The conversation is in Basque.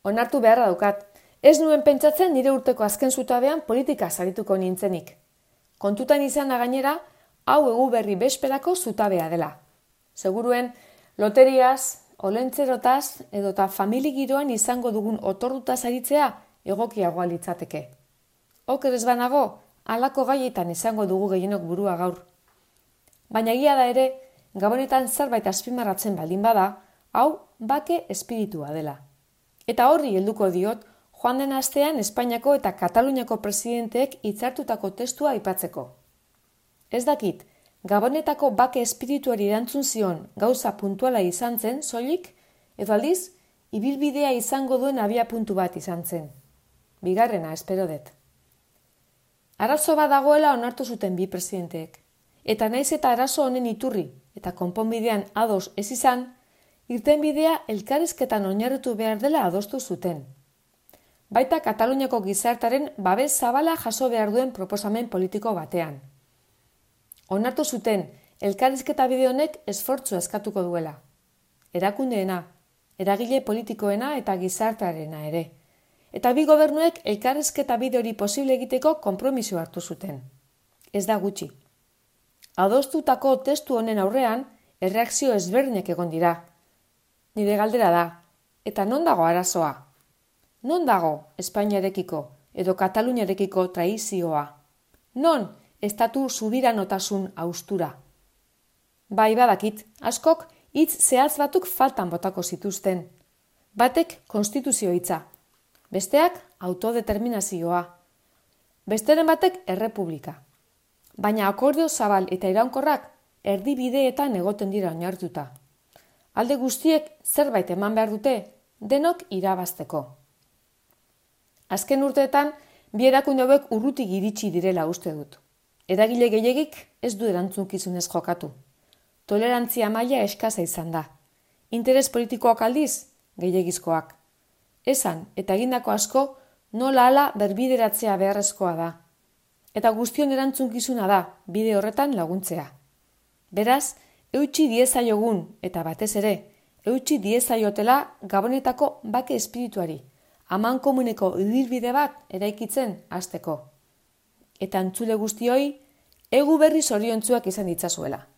Onartu beharra daukat, ez nuen pentsatzen nire urteko azken zutabean politika sarituko nintzenik. Kontutan izana gainera, hau Eguberri besperako zutabea dela. Seguruen, loteriaz, olentzerotaz edota familigiroan izango dugun otorduta saritzea egokiagoa litzateke. Oker ez banago, halako gaietan izango dugu gehienok burua gaur. Baina egia da ere, gabonetan zerbait azpimarratzen baldin bada, hau bake espiritua dela. Eta horri helduko diot, joan den astean Espainiako eta Kataluniako presidenteek hitzartutako testua aipatzeko. Ez dakit, Gabonetako bake espirituari erantzun zion gauza puntuala izan zen, soilik, edo aldiz, ibilbidea izango duen abiapuntu bat izan zen. Bigarrena, espero dut. Arazo bat dagoela onartu zuten bi presidenteek. Eta naiz eta arazo honen iturri eta konponbidean ados ez izan, irtenbidea elkarrizketan oinarritu behar dela adostu zuten. Baita Kataluniako gizartaren babes zabala jaso behar duen proposamen politiko batean. Onartu zuten, elkarrizketa bide honek esfortzu eskatuko duela. Erakundeena, eragile politikoena eta gizartearena ere. Eta bi gobernuek elkarrizketa bide hori posible egiteko konpromiso hartu zuten. Ez da gutxi. Adostutako testu honen aurrean, erreakzio ezberdinak egon dira. Nire galdera da, eta non dago arazoa? Non dago Espainiarekiko edo Kataluniarekiko traizioa? Non estatu subiranotasun haustura? Bai badakit, askok hitz zehatz batzuk faltan botako zituzten. Batek konstituzio hitza, besteak autodeterminazioa, besteren batek errepublika. Baina akordio zabal eta iraunkorrak erdibideetan egoten dira oinartuta. Alde guztiek zerbait eman behar dute, denok irabazteko. Azken urteetan, bi erakunde hauek urrutik iritsi direla uste dut. Eragile gehiegik ez du erantzunkizunez jokatu. Tolerantzia maila eskasa izan da. Interes politikoak aldiz, gehiegizkoak. Esan eta egindako asko nola hala berbideratzea beharrezkoa da. Eta guztion erantzunkizuna da, bide horretan laguntzea. Beraz, eutsi diezaiogun, eta batez ere, eutsi diezaiotela Gabonetako bake espirituari, amankomuneko ibilbide bat eraikitzen hasteko. Eta entzule guztioi, Eguberri zoriontsuak izan ditzazuela.